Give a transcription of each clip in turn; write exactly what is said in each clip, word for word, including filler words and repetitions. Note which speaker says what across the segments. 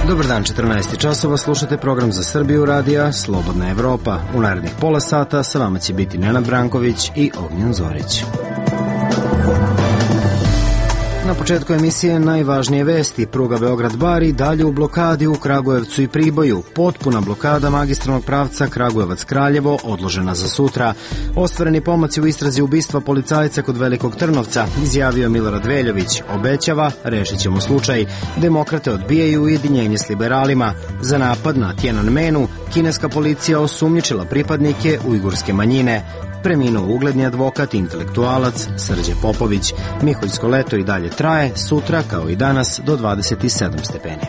Speaker 1: Dobar dan, četrnaest časova, slušate program za Srbiju radija Slobodna Evropa. U narednih pola sata sa vama će biti Nenad Branković i Ognjen Zorić. Na početku emisije najvažnije vesti. Pruga Beograd-Bar i dalje u blokadi u Kragujevcu i Priboju. Potpuna blokada magistralnog pravca Kragujevac-Kraljevo odložena za sutra. Ostvareni pomaci u istrazi ubistva policajca kod Velikog Trnovca, izjavio Milorad Veljović. Obećava, rešit ćemo slučaj. Demokrate odbijaju ujedinjenje s liberalima. Za napad na Tiananmenu kineska policija osumnjičila pripadnike ujgurske manjine. Preminuo ugledni advokat i intelektualac Srđe Popović. Miholjsko leto i dalje traje, sutra kao i danas do dvadeset sedam stepeni.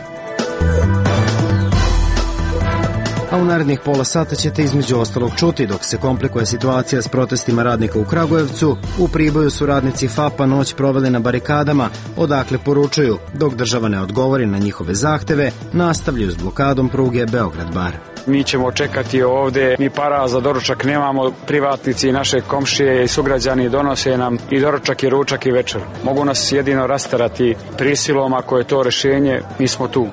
Speaker 1: A u narednih pola sata ćete između ostalog čuti dok se komplikuje situacija s protestima radnika u Kragujevcu. U Priboju su radnici F A P-a noć proveli na barikadama, odakle poručuju, dok država ne odgovori na njihove zahteve, nastavljaju s blokadom pruge Beograd-Bar.
Speaker 2: Mi ćemo čekati ovde, mi para za doručak nemamo, privatnici i naše komšije i sugrađani donose nam i doručak i ručak i večer. Mogu nas jedino rasterati prisilom, ako je to rešenje, mi smo tu.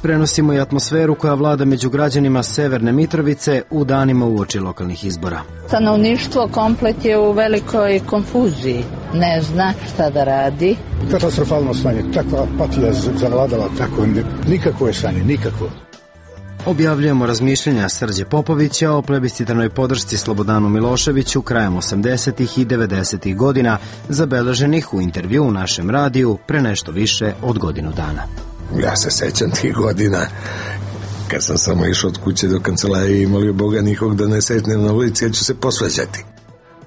Speaker 1: Prenosimo i atmosferu koja vlada među građanima Severne Mitrovice u danima uoči lokalnih izbora.
Speaker 3: Stanovništvo komplet je u velikoj konfuziji, ne zna šta da radi.
Speaker 4: Katastrofalno stanje, takva apatija zavladala, tako nikakvo stanje, nikakvo.
Speaker 1: Objavljujemo razmišljenja Srđe Popovića o plebiscitarnoj podršci Slobodanu Miloševiću krajem osamdesetih i devedesetih godina, zabeleženih u intervju u našem radiju pre nešto više od godinu dana.
Speaker 5: Ja se sećam tih godina kad sam samo išao od kuće do kancelarije i molio Boga nikog da ne setnem na ulici, ja ću se posvađati.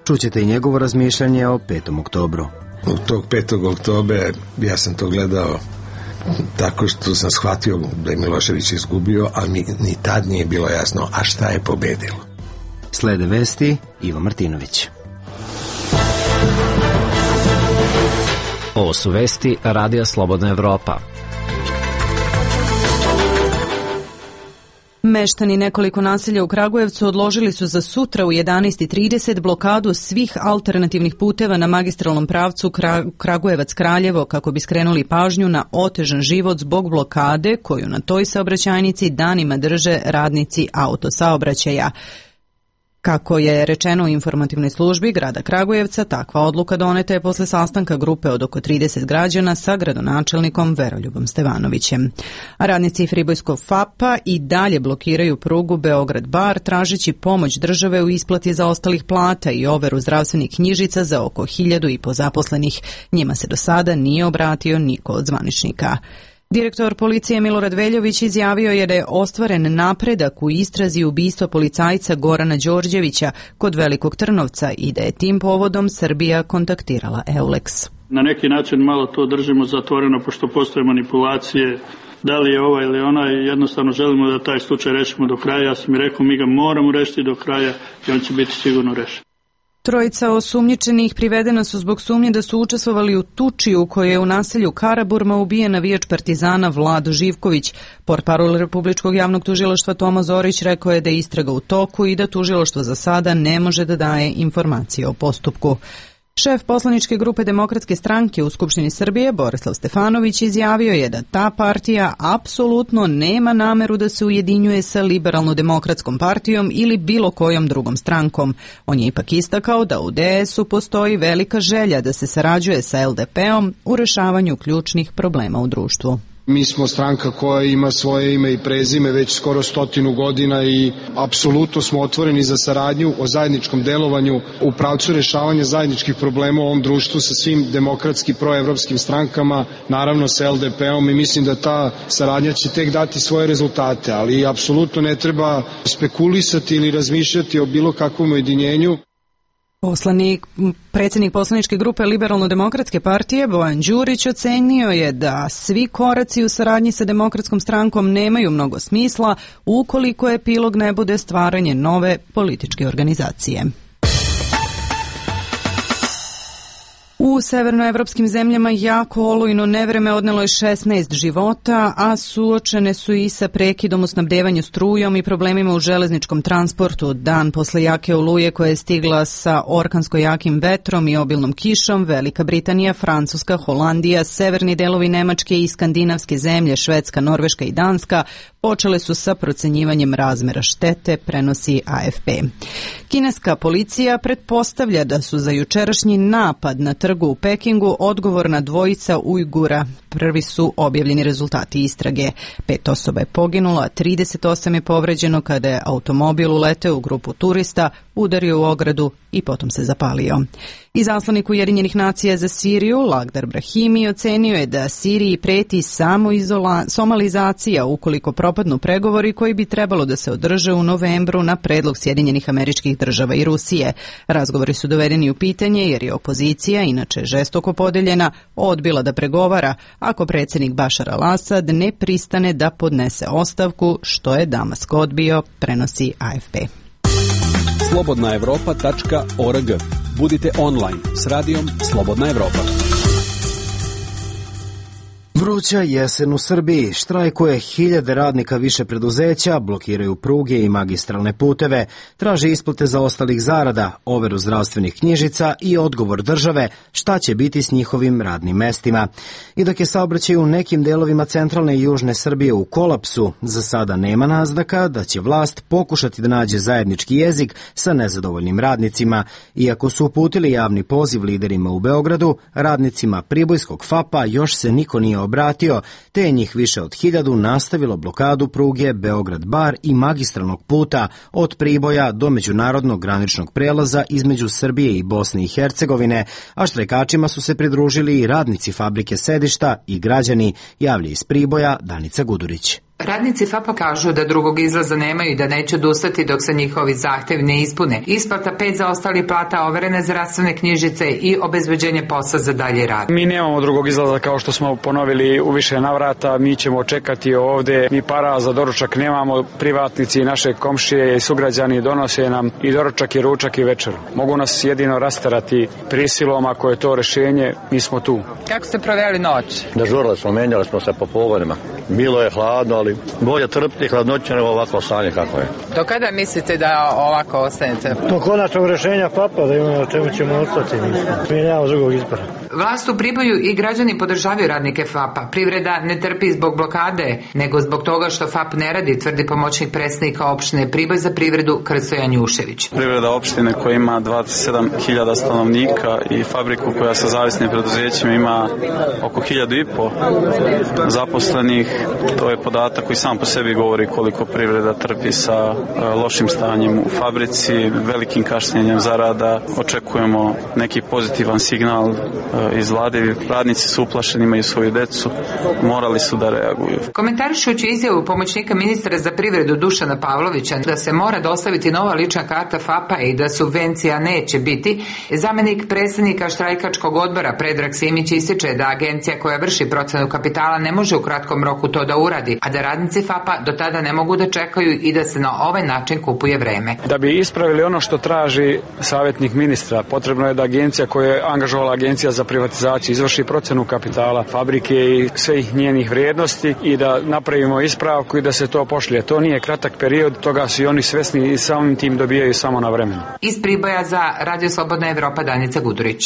Speaker 1: Čućete i njegovo razmišljanje o petom oktobru.
Speaker 5: U tog petog oktobra ja sam to gledao tako što sam shvatio da je Milošević izgubio, a mi ni tad nije bilo jasno, a šta je pobedilo.
Speaker 1: Slede vesti, Ivo Martinović.
Speaker 6: Ovo su vesti Radija Slobodna Evropa.
Speaker 7: Meštani nekoliko naselja u Kragujevcu odložili su za sutra u jedanaest i trideset blokadu svih alternativnih puteva na magistralnom pravcu Kragujevac-Kraljevo kako bi skrenuli pažnju na otežan život zbog blokade koju na toj saobraćajnici danima drže radnici autosaobraćaja. Kako je rečeno u informativnoj službi grada Kragujevca, takva odluka doneta je posle sastanka grupe od oko trideset građana sa gradonačelnikom Veroljubom Stevanovićem. A radnici Pribojskog F A P-a i dalje blokiraju prugu Beograd-Bar tražeći pomoć države u isplati zaostalih plata i overu zdravstvenih knjižica za oko hiljadu i po zaposlenih. Njima se do sada nije obratio niko od zvaničnika. Direktor policije Milorad Veljović izjavio je da je ostvaren napredak u istrazi ubistva policajca Gorana Đorđevića kod Velikog Trnovca i da je tim povodom Srbija kontaktirala Eulex.
Speaker 8: Na neki način malo to držimo zatvoreno pošto postoje manipulacije, da li je ova ili ona, jednostavno želimo da taj slučaj rešimo do kraja. Ja sam mi rekao, mi ga moramo rešiti do kraja i on će biti sigurno rešen.
Speaker 7: Trojica osumnjičenih privedena su zbog sumnje da su učestvovali u tuči u kojoj je u naselju Karaburma ubijen navijač Partizana Vlado Živković. Portparol Republičkog javnog tužilaštva Toma Zorić rekao je da je istraga u toku i da tužilaštvo za sada ne može da daje informacije o postupku. Šef poslaničke grupe Demokratske stranke u Skupštini Srbije, Borislav Stefanović, izjavio je da ta partija apsolutno nema nameru da se ujedinjuje sa Liberalno-demokratskom partijom ili bilo kojom drugom strankom. On je ipak istakao da u D S-u postoji velika želja da se sarađuje sa L D P-om u rešavanju ključnih problema u društvu.
Speaker 9: Mi smo stranka koja ima svoje ime i prezime već skoro stotinu godina i apsolutno smo otvoreni za saradnju o zajedničkom delovanju u pravcu rešavanja zajedničkih problema u ovom društvu sa svim demokratski proevropskim strankama, naravno sa L D P-om i mislim da ta saradnja će tek dati svoje rezultate, ali apsolutno ne treba spekulisati ili razmišljati o bilo kakvom ujedinjenju.
Speaker 7: Poslanik, predsjednik poslaničke grupe Liberalno-demokratske partije Bojan Đurić ocenio je da svi koraci u saradnji sa demokratskom strankom nemaju mnogo smisla ukoliko epilog ne bude stvaranje nove političke organizacije. U severnoevropskim zemljama jako olujno nevreme odnelo je šesnaest života, a suočene su i sa prekidom u snabdevanju strujom i problemima u železničkom transportu. Dan posle jake oluje koja je stigla sa orkansko jakim vetrom i obilnom kišom, Velika Britanija, Francuska, Holandija, severni delovi Nemačke i skandinavske zemlje, Švedska, Norveška i Danska počele su sa procenjivanjem razmera štete, prenosi A F P. Kineska policija pretpostavlja da su za jučerašnji napad na trgu u Pekingu odgovorna dvojica Ujgura. Prvi su objavljeni rezultati istrage. Pet osoba je poginulo, a trideset osam je povređeno kada je automobil uleteo u grupu turista, udario u ogradu i potom se zapalio. Izaslanik Ujedinjenih nacija za Siriju, Lagdar Brahimi, ocenio je da Siriji preti samo izola, somalizacija ukoliko propadnu pregovori koji bi trebalo da se održe u novembru na predlog Sjedinjenih Američkih Država i Rusije. Razgovori su dovedeni u pitanje jer je opozicija, inače žestoko podeljena, odbila da pregovara ako predsjednik Bašar al-Asad ne pristane da podnese ostavku, što je Damask odbio, prenosi A F P.
Speaker 10: slobodna evropa tačka org. Budite online s radijom Slobodna Evropa.
Speaker 1: Vruća jesen u Srbiji, štrajkuje hiljade radnika više preduzeća, blokiraju pruge i magistralne puteve, traže isplate za ostalih zarada, overu zdravstvenih knjižica i odgovor države šta će biti s njihovim radnim mestima. I dok je saobraćaj u nekim delovima centralne i južne Srbije u kolapsu, za sada nema naznaka da će vlast pokušati da nađe zajednički jezik sa nezadovoljnim radnicima. Iako su uputili javni poziv liderima u Beogradu, radnicima Pribojskog F A P-a još se niko nije obratio, te je njih više od hiljadu nastavilo blokadu pruge Beograd-Bar i magistralnog puta od Priboja do međunarodnog graničnog prelaza između Srbije i Bosne i Hercegovine, a štrajkačima su se pridružili i radnici fabrike Sedišta i građani, javlja iz Priboja Danica Gudurić.
Speaker 11: Radnici F A P-a kažu da drugog izlaza nemaju i da neće odustati dok se njihovi zahtev ne ispune. Isplata pet zaostalih plata, overene zdravstvene knjižice i obezbeđenje posla za dalje rad.
Speaker 2: Mi nemamo drugog izlaza, kao što smo ponovili u više navrata, mi ćemo čekati ovde, mi para za doručak nemamo, privatnici i naše komšije i sugrađani donose nam i doručak i ručak i večer. Mogu nas jedino rasterati prisilom, ako je to rešenje, mi smo tu.
Speaker 11: Kako ste proveli noć?
Speaker 12: Dežurali smo, menjali smo se po pogonima. Bilo je hladno, ali bolje trpiti hladnoće nego ovako stanje kako je.
Speaker 11: Do kada mislite da ovako ostanete?
Speaker 13: Do konačnog rešenja F A P-a da imamo na čemu ćemo ostati. Mi nemamo drugog izbora.
Speaker 11: Vlast u Priboju i građani podržavaju radnike F A P-a. Privreda ne trpi zbog blokade, nego zbog toga što F A P ne radi, tvrdi pomoćnik predsjednika opštine Priboj za privredu Krsto Janjušević.
Speaker 14: Privreda opštine koja ima dvadeset sedam hiljada stanovnika i fabriku koja sa zavisnim preduzećima ima oko hiljadu i po zaposlenih, to je podatak koji sam po sebi govori koliko privreda trpi sa lošim stanjem u fabrici, velikim kašnjenjem zarada. Očekujemo neki pozitivan signal iz vlade. Radnici su uplašeni, imaju svoju decu, morali su da reaguju.
Speaker 11: Komentarišući izjavu pomoćnika ministra za privredu Dušana Pavlovića da se mora dostaviti nova lična karta F A P-a i da subvencija neće biti, zamenik predsjednika štrajkačkog odbora Predrag Simić ističe da agencija koja vrši procenu kapitala ne može u kratkom roku to da uradi, a da radnici F A P-a do tada ne mogu da čekaju i da se na ovaj način kupuje vreme.
Speaker 2: Da bi ispravili ono što traži savjetnik ministra, potrebno je da agencija koja je angažovala agencija za privatizaciju izvrši procenu kapitala fabrike i svih njenih vrijednosti i da napravimo ispravku i da se to pošlje. To nije kratak period, toga su i oni svesni i samim tim dobijaju samo na vremenu.
Speaker 11: Iz Priboja za Radio Slobodna Evropa Danica Gudurić.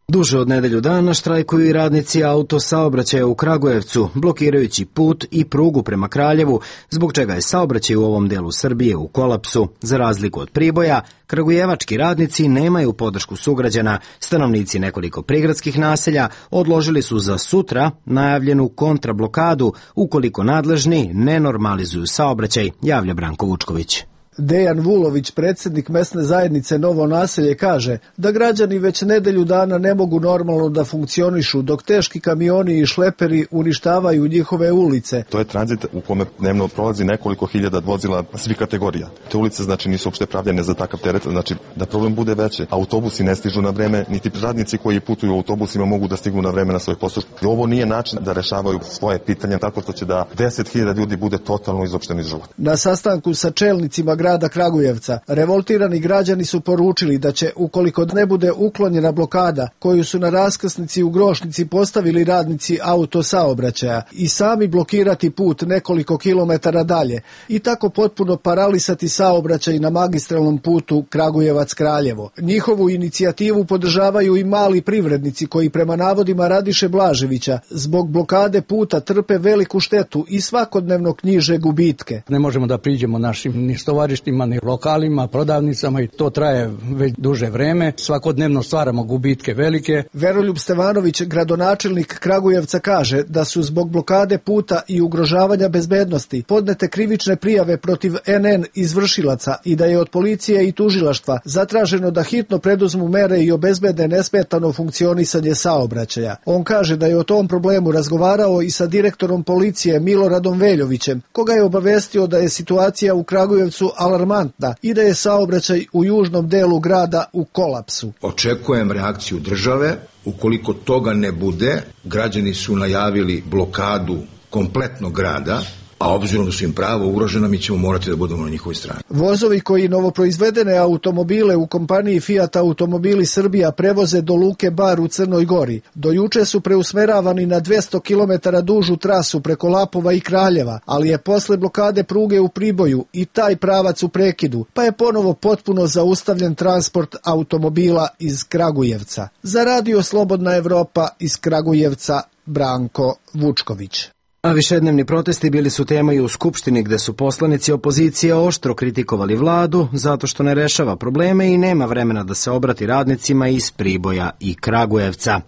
Speaker 1: Duže od nedelju dana štrajkuju i radnici autosaobraćaja u Kragujevcu, blokirajući put i prugu prema Kraljevu, zbog čega je saobraćaj u ovom delu Srbije u kolapsu. Za razliku od Priboja, kragujevački radnici nemaju podršku sugrađana. Stanovnici nekoliko prigradskih naselja odložili su za sutra najavljenu kontrablokadu ukoliko nadležni ne normalizuju saobraćaj, javlja Branko Vučković.
Speaker 15: Dejan Vulović, predsjednik mesne zajednice Novo naselje, kaže da građani već nedelju dana ne mogu normalno da funkcionišu dok teški kamioni i šleperi uništavaju njihove ulice.
Speaker 16: To je tranzit u kome dnevno prolazi nekoliko hiljada vozila svih kategorija. Te ulice znači nisu uopšte pravljene za takav teret, znači da problem bude veće. Autobusi ne stižu na vreme, niti radnici koji putuju autobusima mogu da stignu na vreme na svoj posao. Ovo nije način da rešavaju svoje pitanja tako što će da deset hiljada ljudi bude totalno izopšteno iz života.
Speaker 15: Na sastanku sa čelnicima grada grada Kragujevca. Revoltirani građani su poručili da će, ukoliko ne bude uklonjena blokada koju su na raskrsnici u Grošnici postavili radnici autosaobraćaja, i sami blokirati put nekoliko kilometara dalje i tako potpuno paralisati saobraćaj na magistralnom putu Kragujevac-Kraljevo. Njihovu inicijativu podržavaju i mali privrednici koji prema navodima Radiše Blaževića zbog blokade puta trpe veliku štetu i svakodnevno knjiže gubitke.
Speaker 17: Ne možemo da priđemo našim ni stovarištima, ni lokalima, prodavnicama i to traje već duže vreme. Svakodnevno stvaramo gubitke velike.
Speaker 15: Veroljub Stevanović, gradonačelnik Kragujevca, kaže da su zbog blokade puta i ugrožavanja bezbednosti podnete krivične prijave protiv en en izvršilaca i da je od policije i tužilaštva zatraženo da hitno preduzmu mere i obezbede nesmetano funkcionisanje saobraćaja. On kaže da je o tom problemu razgovarao i sa direktorom policije Miloradom Veljovićem, koga je obavestio da je situacija u Kragujevcu alarmantna i da je saobraćaj u južnom delu grada u kolapsu.
Speaker 18: Očekujem reakciju države. Ukoliko toga ne bude, građani su najavili blokadu kompletnog grada, a obzirom da su im pravo ugrožena, mi ćemo morati da budemo na njihovoj strani.
Speaker 15: Vozovi koji novoproizvedene automobile u kompaniji Fiat Automobili Srbija prevoze do Luke Bar u Crnoj Gori. Do juče su preusmeravani na dvesta kilometara dužu trasu preko Lapova i Kraljeva, ali je posle blokade pruge u Priboju i taj pravac u prekidu, pa je ponovo potpuno zaustavljen transport automobila iz Kragujevca. Za Radio Slobodna Evropa iz Kragujevca, Branko Vučković.
Speaker 1: A višednevni protesti bili su tema i u Skupštini, gde su poslanici opozicije oštro kritikovali vladu zato što ne rešava probleme i nema vremena da se obrati radnicima iz Priboja i Kragujevca.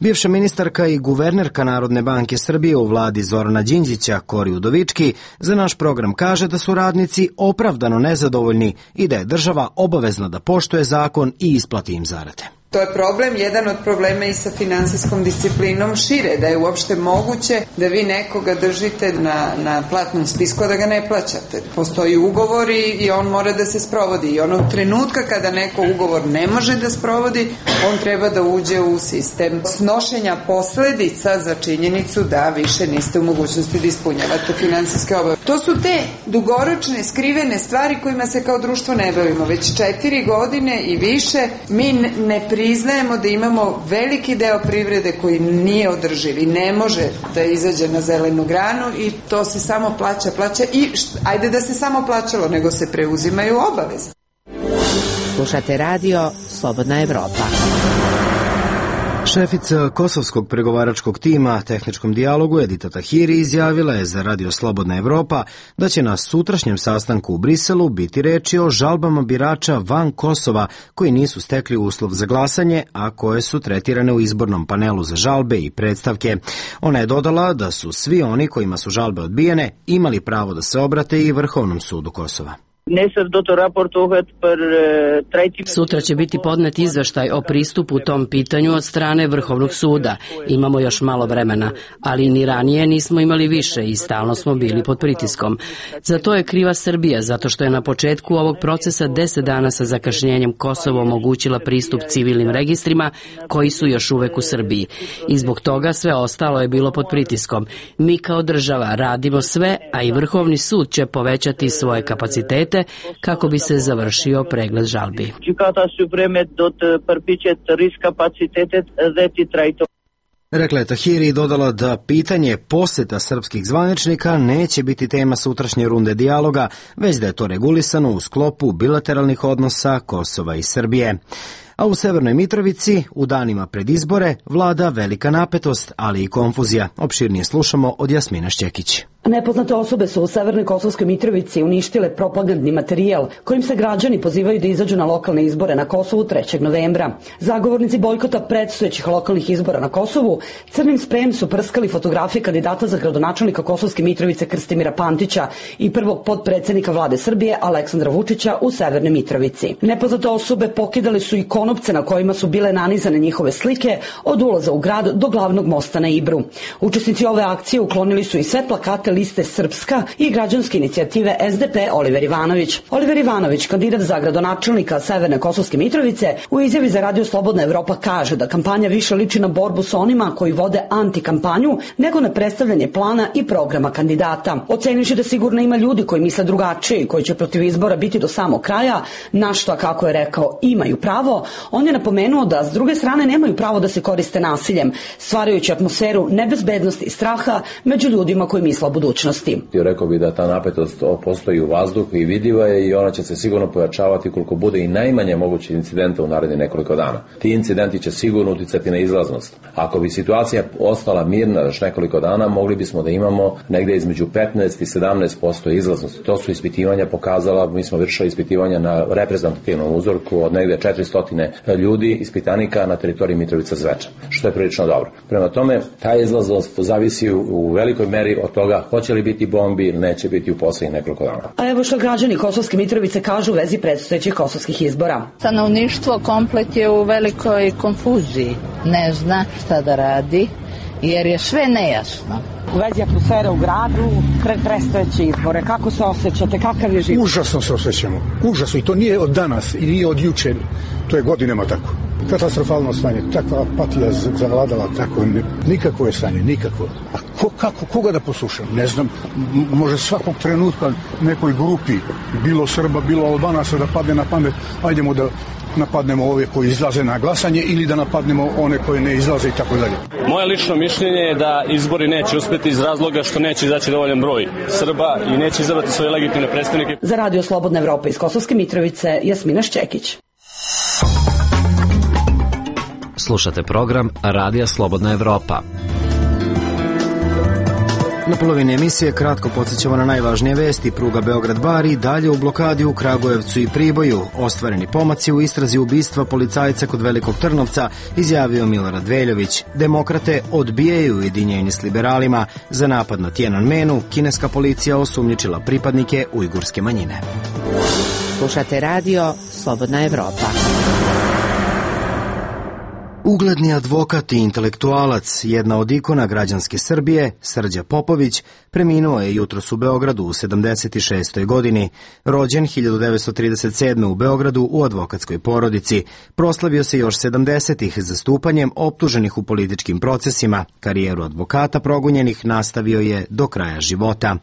Speaker 1: Bivša ministarka i guvernerka Narodne banke Srbije u vladi Zorana Đinđića, Kori Udovički, za naš program kaže da su radnici opravdano nezadovoljni i da je država obavezna da poštuje zakon i isplati im zarade.
Speaker 19: To je problem, jedan od problema i sa finansijskom disciplinom šire, da je uopšte moguće da vi nekoga držite na, na platnom spisku, da ga ne plaćate. Postoji ugovor i, i on mora da se sprovodi. I onog trenutka kada neko ugovor ne može da sprovodi, on treba da uđe u sistem snošenja posledica za činjenicu da više niste u mogućnosti da ispunjavate finansijske obaveze. To su te dugoročne, skrivene stvari kojima se kao društvo ne bavimo. Već četiri godine i više mi ne pri priznajemo da imamo veliki deo privrede koji nije održiv i ne može da izađe na zelenu granu i to se samo plaća, plaća i št, ajde da se samo plaćalo, nego se preuzimaju obaveze.
Speaker 20: Slušate radio Slobodna Evropa.
Speaker 1: Šefica kosovskog pregovaračkog tima tehničkom dijalogu Edita Tahiri izjavila je za Radio Slobodna Evropa da će na sutrašnjem sastanku u Briselu biti reči o žalbama birača van Kosova koji nisu stekli uslov za glasanje, a koje su tretirane u izbornom panelu za žalbe i predstavke. Ona je dodala da su svi oni kojima su žalbe odbijene imali pravo da se obrate i Vrhovnom sudu Kosova.
Speaker 21: Sutra će biti podnet izveštaj o pristupu tom pitanju od strane Vrhovnog suda. Imamo još malo vremena, ali ni ranije nismo imali više i stalno smo bili pod pritiskom. Za to je kriva Srbija, zato što je na početku ovog procesa deset dana sa zakašnjenjem Kosovo omogućila pristup civilnim registrima koji su još uvek u Srbiji. I zbog toga sve ostalo je bilo pod pritiskom. Mi kao država radimo sve, a i Vrhovni sud će povećati svoje kapacitete kako bi se završio pregled žalbi.
Speaker 1: Rekla je Tahiri i dodala da pitanje poseta srpskih zvaničnika neće biti tema sutrašnje runde dijaloga, već da je to regulisano u sklopu bilateralnih odnosa Kosova i Srbije. A u Severnoj Mitrovici u danima pred izbore vlada velika napetost, ali i konfuzija. Opširnije slušamo od Jasmina Šćekić.
Speaker 22: Nepoznate osobe su u Severnoj Kosovskoj Mitrovici uništile propagandni materijal kojim se građani pozivaju da izađu na lokalne izbore na Kosovu trećeg novembra. Zagovornici bojkota predstojećih lokalnih izbora na Kosovu crnim sprejem su prskali fotografije kandidata za gradonačelnika Kosovske Mitrovice Krstimira Pantića i prvog potpredsednika vlade Srbije Aleksandra Vučića u Severnoj Mitrovici. Nepoznate osobe pokidale su i konopce na kojima su bile nanizane njihove slike od ulaza u grad do glavnog mosta na Ibru. Učesnici ove akcije uklonili su i sve plakate liste Srpska i građanske inicijative S D P Oliver Ivanović. Oliver Ivanović, kandidat za gradonačelnika Severne Kosovske Mitrovice, u izjavi za Radio Slobodna Evropa kaže da kampanja više liči na borbu sa onima koji vode antikampanju nego na predstavljanje plana i programa kandidata. Ocenivši da sigurno ima ljudi koji misle drugačije i koji će protiv izbora biti do samog kraja, na što, kako je rekao, imaju pravo, on je napomenuo da s druge strane nemaju pravo da se koriste nasiljem, stvarajući atmosferu nebezbednosti i straha među ljudima koji misle o budućnosti.
Speaker 3: Rekao bi da ta napetost postoji u vazduhu i vidljiva je i ona će se sigurno pojačavati koliko bude i najmanje mogući incidenta u narednih nekoliko dana. Ti incidenti će sigurno uticati na izlaznost. Ako bi situacija ostala mirna još nekoliko dana, mogli bismo da imamo negde između petnaest i sedamnaest posto izlaznosti. To su ispitivanja pokazala, mi smo vršili ispitivanja na reprezentativnom uzorku od negde četiristo ljudi, ispitanika na teritoriji Mitrovica Zvečan, što je prilično dobro. Prema tome, ta izlaznost zavisi u, u velikoj meri od toga hoće li biti bombi ili neće biti u poslednjih nekoliko dana.
Speaker 22: A evo što građani Kosovske Mitrovice kažu u vezi predstojećih kosovskih izbora.
Speaker 4: Stanovništvo komplet je u velikoj konfuziji. Ne zna šta da radi, jer je sve nejasno.
Speaker 22: U vezi atmosfere u gradu, pred predstojeće izbore, kako se osjećate, kakav je život?
Speaker 23: Užasno se osjećamo, užasno, i to nije od danas i nije od juče, to je godinama tako. Katastrofalno stanje, takva apatija zavladala, tako, nikakvo je stanje, nikakvo. A ko, kako, koga da poslušam? Ne znam, može svakog trenutka nekoj grupi, bilo Srba, bilo Albanaca, da padne na pamet, ajdemo da napadnemo ove koji izlaze na glasanje ili da napadnemo one koje ne izlaze i tako dalje.
Speaker 24: Moje lično mišljenje je da izbori neće uspeti iz razloga što neće izaći dovoljan broj Srba i neće izabrati svoje legitimne predstavnike.
Speaker 22: Za Radio Slobodna Evropa iz Kosovske Mitrovice, Jasmina Šćekić.
Speaker 6: Slušate program Radija Slobodna Evropa.
Speaker 1: Na polovini emisije kratko podsjećamo na najvažnije vesti. Pruga Beograd-Bar dalje u blokadi u Kragujevcu i Priboju. Ostvareni pomaci u istrazi ubistva policajca kod Velikog Trnovca, izjavio Milorad Veljović. Demokrate odbijaju ujedinjenje s liberalima. Za napad na Tiananmenu kineska policija osumnjičila pripadnike ujgurske manjine.
Speaker 20: Slušate radio Slobodna Evropa.
Speaker 1: Ugledni advokat i intelektualac, jedna od ikona građanske Srbije, Srđa Popović, preminuo je jutros u Beogradu u sedamdeset šestoj godini. Rođen hiljadu devetsto trideset sedme. u Beogradu u advokatskoj porodici. Proslavio se još sedamdesetih zastupanjem optuženih u političkim procesima. Karijeru advokata progonjenih nastavio je do kraja života.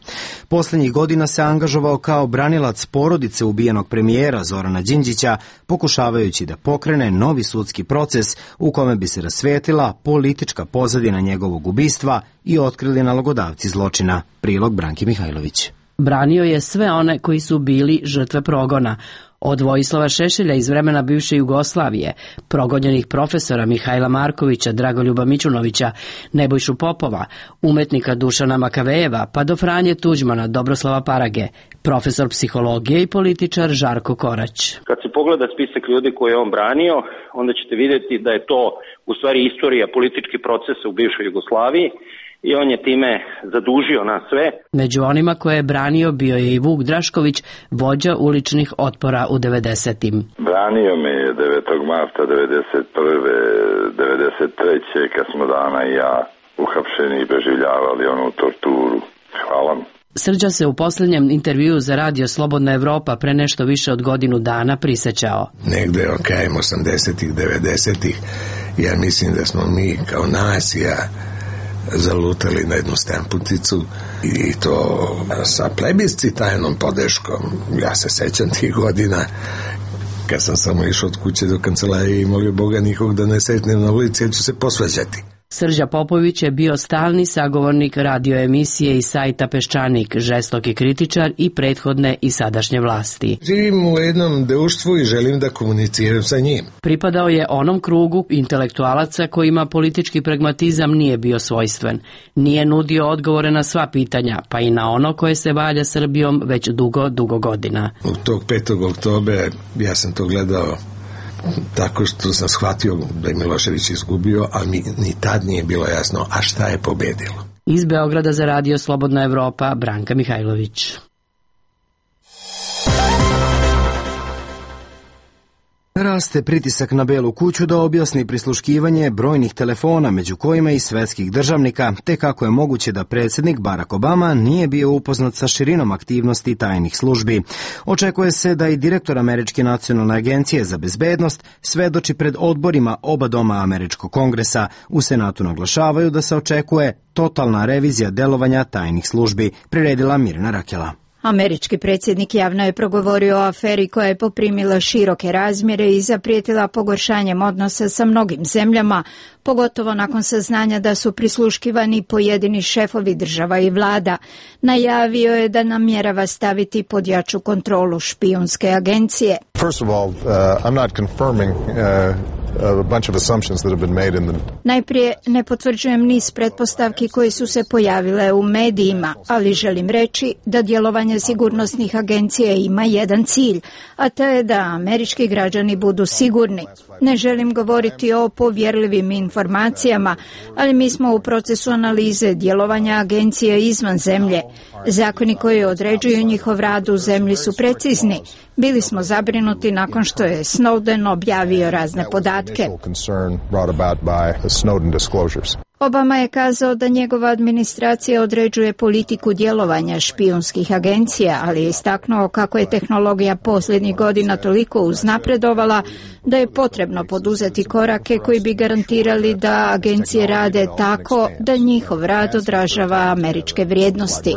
Speaker 1: Poslednjih godina se angažovao kao branilac porodice ubijenog premijera Zorana Đinđića, pokušavajući da pokrene novi sudski proces u kome bi se rasvetila politička pozadina njegovog ubistva i otkrili nalogodavci zločina. Prilog Branki Mihajlović.
Speaker 21: Branio je sve one koji su bili žrtve progona. Od Vojislava Šešelja iz vremena bivše Jugoslavije, progonjenih profesora Mihajla Markovića, Dragoljuba Mićunovića, Nebojšu Popova, umetnika Dušana Makavejeva, pa do Franje Tuđmana, Dobroslava Parage, profesor psihologije i političar Žarko Korać.
Speaker 25: Kad se pogleda spisak ljudi koje je on branio, onda ćete vidjeti da je to u stvari istorija političkih procesa u bivšoj Jugoslaviji, i on je time zadužio nas sve.
Speaker 21: Među onima koje je branio bio je i Vuk Drašković, vođa uličnih otpora u devedesetim.
Speaker 26: Branio me je devetog marta devedeset prve. devedeset treće. kad smo Dana i ja uhapšeni i preživljavali onu torturu. Hvala mi.
Speaker 21: Srđa se u posljednjem intervjuu za Radio Slobodna Evropa pre nešto više od godinu dana prisećao.
Speaker 5: Negde okajem osamdesetih, devedesetih. Ja mislim da smo mi kao nacija zalutali na jednu stemputicu i to sa plebiscitajnom podrškom. Ja se sećam tih godina kad sam samo išao od kuće do kancelarije i molio Boga nikog da ne setnem na ulici, ja ću se posvađati.
Speaker 21: Srđa Popović je bio stalni sagovornik radioemisije i sajta Peščanik, žestoki kritičar i prethodne i sadašnje vlasti.
Speaker 5: Živim u jednom društvu i želim da komuniciram sa njim.
Speaker 21: Pripadao je onom krugu intelektualaca kojima politički pragmatizam nije bio svojstven. Nije nudio odgovore na sva pitanja, pa i na ono koje se valja Srbijom već dugo, dugo godina.
Speaker 5: U tog petog oktobra ja sam to gledao tako što sam shvatio da je Milošević izgubio, a mi ni tad nije bilo jasno, a šta je pobedilo.
Speaker 21: Iz Beograda za Radio Slobodna Evropa, Branka Mihajlović.
Speaker 1: Raste pritisak na Belu kuću da objasni prisluškivanje brojnih telefona, među kojima i svetskih državnika, te kako je moguće da predsjednik Barack Obama nije bio upoznat sa širinom aktivnosti tajnih službi. Očekuje se da i direktor Američke nacionalne agencije za bezbednost svedoči pred odborima oba doma Američkog kongresa. U Senatu naglašavaju da se očekuje totalna revizija delovanja tajnih službi, priredila Mirna Rakela.
Speaker 7: Američki predsjednik javno je progovorio o aferi koja je poprimila široke razmjere i zaprijetila pogoršanjem odnosa sa mnogim zemljama, pogotovo nakon saznanja da su prisluškivani pojedini šefovi država i vlada. Najavio je da namjerava staviti pod jaču kontrolu špijunske agencije.
Speaker 8: First of all, uh, I'm not confirming uh... a bunch of assumptions that have been made in the...
Speaker 7: Najprije ne potvrđujem niz pretpostavki koje su se pojavile u medijima, ali želim reći da djelovanje sigurnosnih agencija ima jedan cilj, a to je da američki građani budu sigurni. Ne želim govoriti o povjerljivim informacijama, ali mi smo u procesu analize djelovanja agencija izvan zemlje. Zakoni koji određuju njihov rad u zemlji su precizni. Bili smo zabrinuti nakon što je Snowden objavio razne podatke. Obama je kazao da njegova administracija određuje politiku djelovanja špijunskih agencija, ali je istaknuo kako je tehnologija posljednjih godina toliko uznapredovala da je potrebno poduzeti korake koji bi garantirali da agencije rade tako da njihov rad odražava američke vrijednosti.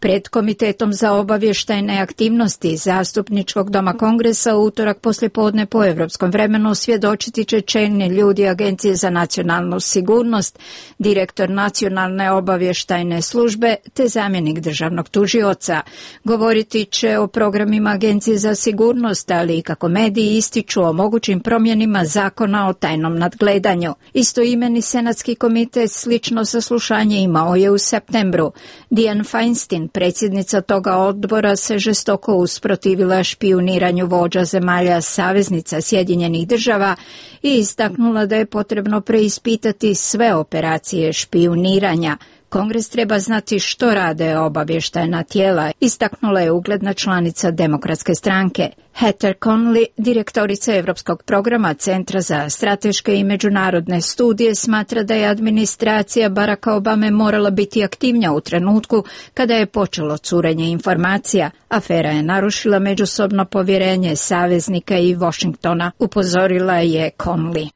Speaker 7: Pred Komitetom za obavještajne aktivnosti Zastupničkog doma Kongresa u utorak poslijepodne po europskom vremenu svjedočiti će čelni ljudi Agencije za nacionalnu sigurnost, direktor Nacionalne obavještajne službe te zamjenik državnog tužioca. Govoriti će o programima Agencije za sigurnost, ali i kako mediji ističu o mogućim promjenima zakona o tajnom nadgledanju. Istoimeni senatski komitet slično saslušanje imao je u septembru. Dianne Feinstein, predsjednica toga odbora, se žestoko usprotivila špijuniranju vođa zemalja saveznica Sjedinjenih država i istaknula da je potrebno preispitati sve operacije špijuniranja. Kongres treba znati što rade obavještajna tijela, istaknula je ugledna članica Demokratske stranke. Heather Conley, direktorica Europskog programa Centra za strateške i međunarodne studije, smatra da je administracija Baracka Obame morala biti aktivnija u trenutku kada je počelo curenje informacija. Afera je narušila međusobno povjerenje saveznika i Washingtona, upozorila je Conley.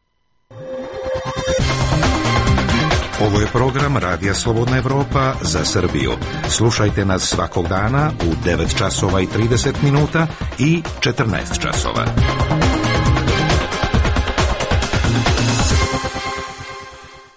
Speaker 9: Ovo je program Radija Slobodna Evropa za Srbiju. Slušajte nas svakog dana u devet časova i trideset minuta i četrnaest časova.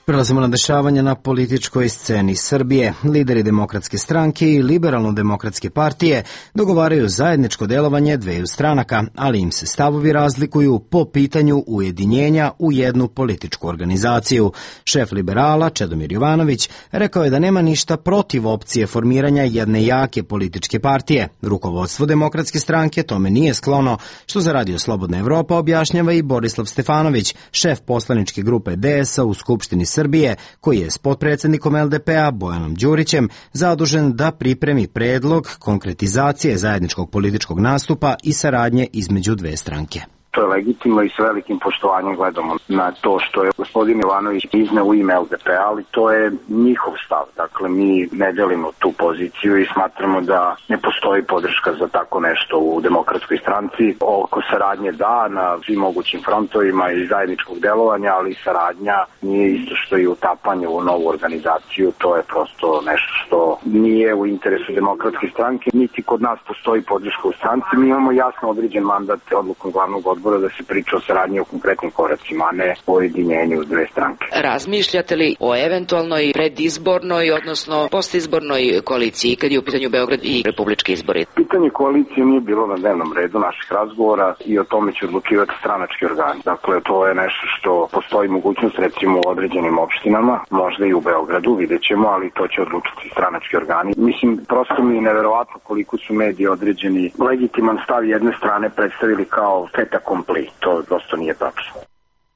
Speaker 1: Prelazimo na dešavanja na političkoj sceni Srbije. Lideri Demokratske stranke i Liberalno-demokratske partije dogovaraju zajedničko delovanje dveju stranaka, ali im se stavovi razlikuju po pitanju ujedinjenja u jednu političku organizaciju. Šef liberala Čedomir Jovanović rekao je da nema ništa protiv opcije formiranja jedne jake političke partije. Rukovodstvo Demokratske stranke tome nije sklono, što za Radio Slobodna Evropa objašnjava i Borislav Stefanović, šef poslaničke grupe D S A u Skupštini Srbije, koji je s potpredsjednikom L D P-a Bojanom Đurićem zadužen da pripremi predlog konkretizacije zajedničkog političkog nastupa i saradnje između dve stranke.
Speaker 10: To je legitimno i s velikim poštovanjem gledamo na to što je gospodin Jovanović izneo u ime L D P-a, ali to je njihov stav. Dakle, mi ne delimo tu poziciju i smatramo da ne postoji podrška za tako nešto u Demokratskoj stranci. Oko saradnje da, na svim mogućim frontovima i zajedničkog delovanja, ali saradnja nije isto što i utapanje u novu organizaciju. To je prosto nešto što nije u interesu Demokratske stranke, niti kod nas postoji podrška u stranci. Mi imamo jasno određen mandat odlukom glavnog odbora da se priča o saradnji o konkretnim koracima, a ne o ujedinjenju dve stranke.
Speaker 12: Razmišljate li o eventualnoj predizbornoj, odnosno postizbornoj koaliciji kad je u pitanju Beograd i republički izbori?
Speaker 10: Pitanje koalicije nije bilo na dnevnom redu naših razgovora i o tome će odlučivati stranački organi. Dakle, to je nešto što postoji mogućnost recimo u određenim opštinama, možda i u Beogradu, vidjet ćemo, ali to će odlučiti stranački organi. Mislim, prosto mi je neverovatno koliko su mediji određeni legitiman stav jedne strane predstavili kao feta kompli. To prosto nije tačno.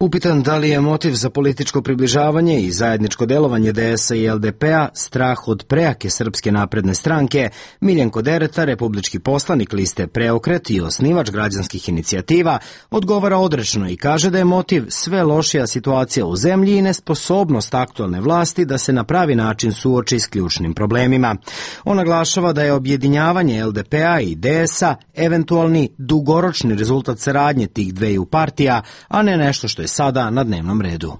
Speaker 1: Upitan da li je motiv za političko približavanje i zajedničko delovanje D S A i L D P-a strah od prejake Srpske napredne stranke, Miljenko Dereta, republički poslanik liste Preokret i osnivač građanskih inicijativa, odgovara odrečno i kaže da je motiv sve lošija situacija u zemlji i nesposobnost aktualne vlasti da se na pravi način suoči s ključnim problemima. On naglašava da je objedinjavanje L D P-a i D S A eventualni dugoročni rezultat saradnje tih dveju partija, a ne nešto što je sada na dnevnom redu.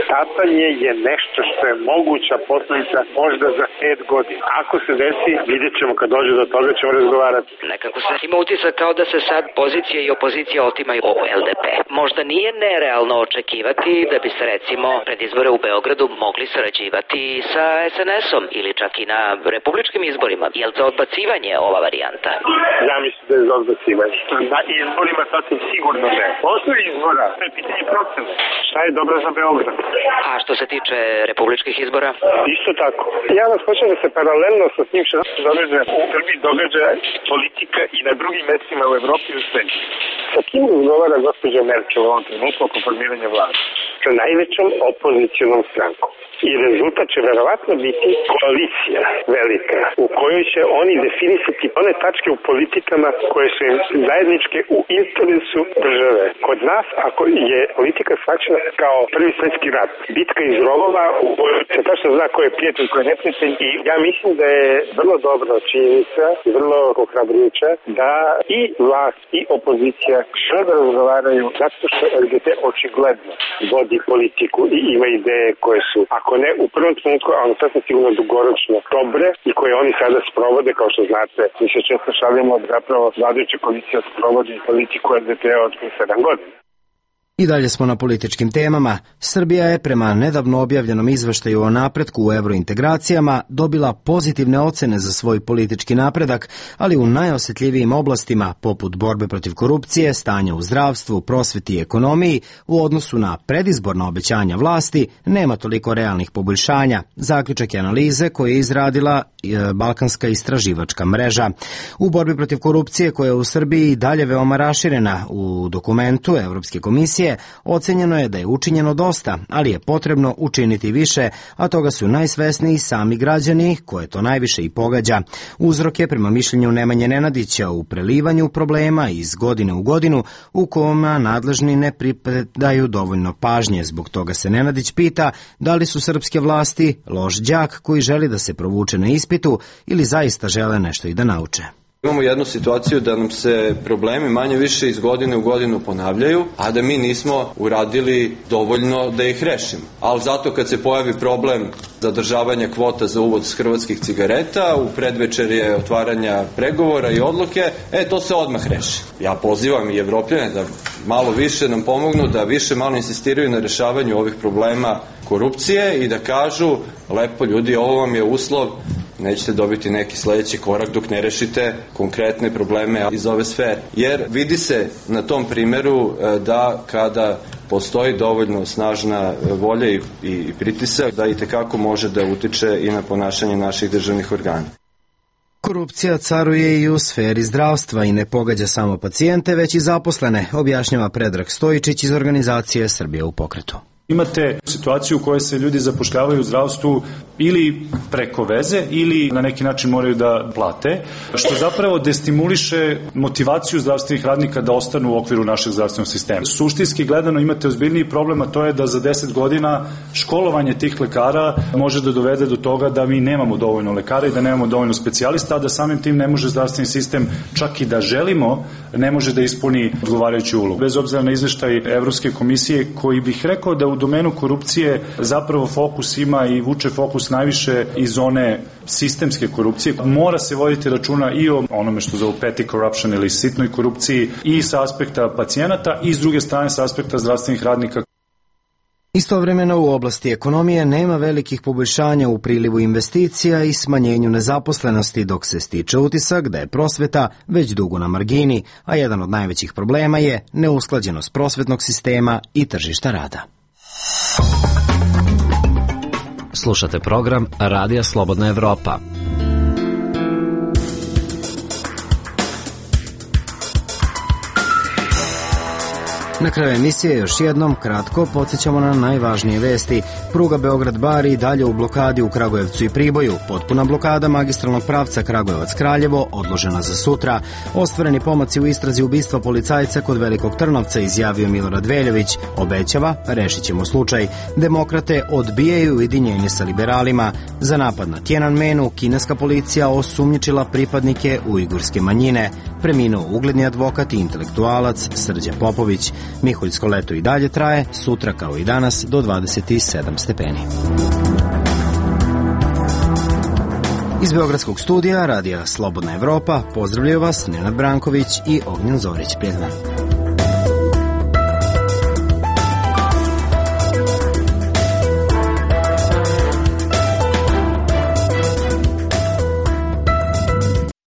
Speaker 2: Stapanje je nešto što je moguća posledica možda za pet godina. Ako se desi, vidjet ćemo kad dođe do toga, ćemo razgovarati.
Speaker 12: Nekako se ima utisak kao da se sad pozicija i opozicija otimaju o L D P. Možda nije nerealno očekivati da bi se recimo pred izbore u Beogradu mogli sarađivati sa S N S-om ili čak i na republičkim izborima. Je li za odbacivanje ova varijanta?
Speaker 2: Ja mislim da je za odbacivanje. Na izborima sasvim sigurno ne. Posle izbora, to je pitanje procene. Šta je dobro za Beograd?
Speaker 12: A što se tiče republičkih izbora?
Speaker 2: Isto tako. Ja vas hoćem da se paralelno sa tim što se događa u Srbiji događa politika i na drugim mestima u Evropi i u svetu. Sa kim razgovara gospođa Merkel u ovom trenutku oko formiranja vlade? Sa najvećom opozicionom strankom. I rezultat će verovatno biti koalicija velika u kojoj će oni definisati one tačke u politikama koje su im zajedničke u interesu države. Kod nas, ako je politika shvaćena kao prvi svjetski rat, bitka iz rovova u kojoj se tačno zna ko je prijatelj, ko je neprijatelj, i ja mislim da je vrlo dobra činjenica, vrlo ohrabrujuća da i vlast i opozicija što da razgovaraju, zato što L D P očigledno vodi politiku i ima ideje koje su, ako ne u prvom trenutku, ali sasvim sigurno dugoročno dobre i koje oni sada sprovode, kao što znate, mi se često šalimo da zapravo vladajuća koalicija sprovodi politiku L D P-a od sedam godina.
Speaker 1: I dalje smo na političkim temama. Srbija je prema nedavno objavljenom izveštaju o napretku u evrointegracijama dobila pozitivne ocene za svoj politički napredak, ali u najosjetljivijim oblastima, poput borbe protiv korupcije, stanja u zdravstvu, prosveti i ekonomiji, u odnosu na predizborna obećanja vlasti, nema toliko realnih poboljšanja. Zaključak je analize koje je izradila Balkanska istraživačka mreža. U borbi protiv korupcije, koja je u Srbiji dalje veoma raširena, u dokumentu Evropske komisije ocenjeno je da je učinjeno dosta, ali je potrebno učiniti više, a toga su najsvesniji sami građani, koje to najviše i pogađa. Uzrok je, prema mišljenju Nemanje Nenadića, u prelivanju problema iz godine u godinu u kojima nadležni ne pripredaju dovoljno pažnje. Zbog toga se Nenadić pita da li su srpske vlasti loš đak koji želi da se provuče na ispitu ili zaista žele nešto i da nauče.
Speaker 11: Imamo jednu situaciju da nam se problemi manje više iz godine u godinu ponavljaju, a da mi nismo uradili dovoljno da ih rešimo. Ali zato kad se pojavi problem zadržavanja kvota za uvoz hrvatskih cigareta, u predvečerje otvaranja pregovora i odluke, e, to se odmah reši. Ja pozivam i Evropljane da malo više nam pomognu, da više malo insistiraju na rešavanju ovih problema korupcije i da kažu, lepo ljudi, ovo vam je uslov, nećete dobiti neki sledeći korak dok ne rešite konkretne probleme iz ove sfere. Jer vidi se na tom primeru da kada postoji dovoljno snažna volja i, i pritisak, da i tekako može da utiče i na ponašanje naših državnih organa.
Speaker 1: Korupcija caruje i u sferi zdravstva i ne pogađa samo pacijente, već i zaposlene, objašnjava Predrag Stojičić iz organizacije Srbija u pokretu.
Speaker 13: Imate situaciju u kojoj se ljudi zapošljavaju u zdravstvu ili preko veze ili na neki način moraju da plate, što zapravo destimuliše motivaciju zdravstvenih radnika da ostanu u okviru našeg zdravstvenog sistema. Suštinski gledano imate ozbiljniji problem, a to je da za deset godina školovanje tih lekara može da dovede do toga da mi nemamo dovoljno lekara i da nemamo dovoljno specijalista, a da samim tim ne može zdravstveni sistem, čak i da želimo, ne može da ispuni odgovarajuću ulogu. Bez obzira na izveštaj Evropske komisije, koji bih rekao da u domenu korupcije zapravo fokus ima i vuče fokus najviše iz zone sistemske korupcije. Mora se voditi računa i o onome što zovu petty corruption ili sitnoj korupciji i sa aspekta pacijenata i s druge strane sa aspekta zdravstvenih radnika.
Speaker 1: Istovremeno u oblasti ekonomije nema velikih poboljšanja u prilivu investicija i smanjenju nezaposlenosti, dok se stiče utisak da je prosveta već dugo na margini, a jedan od najvećih problema je neusklađenost prosvetnog sistema i tržišta rada.
Speaker 6: Slušate program Radija Slobodna Evropa.
Speaker 1: Na kraju emisije još jednom kratko podsjećamo na najvažnije vesti. Pruga Beograd-Bar i dalje u blokadi u Kragujevcu i Priboju. Potpuna blokada magistralnog pravca Kragujevac-Kraljevo odložena za sutra. Ostvareni pomaci u istrazi ubistva policajca kod Velikog Trnovca, izjavio Milorad Veljović. Obećava, rešit ćemo slučaj. Demokrate odbijaju ujedinjenje sa liberalima. Za napad na Tiananmenu kineska policija osumnjičila pripadnike ujgurske manjine. Preminuo ugledni advokat i intelektualac Srđa Popović. Miholjsko leto i dalje traje, sutra kao i danas do dvadeset sedam stepeni. Iz Beogradskog studija Radija Slobodna Evropa pozdravljaju vas Nenad Branković i Ognjen Zorić. Prijatno.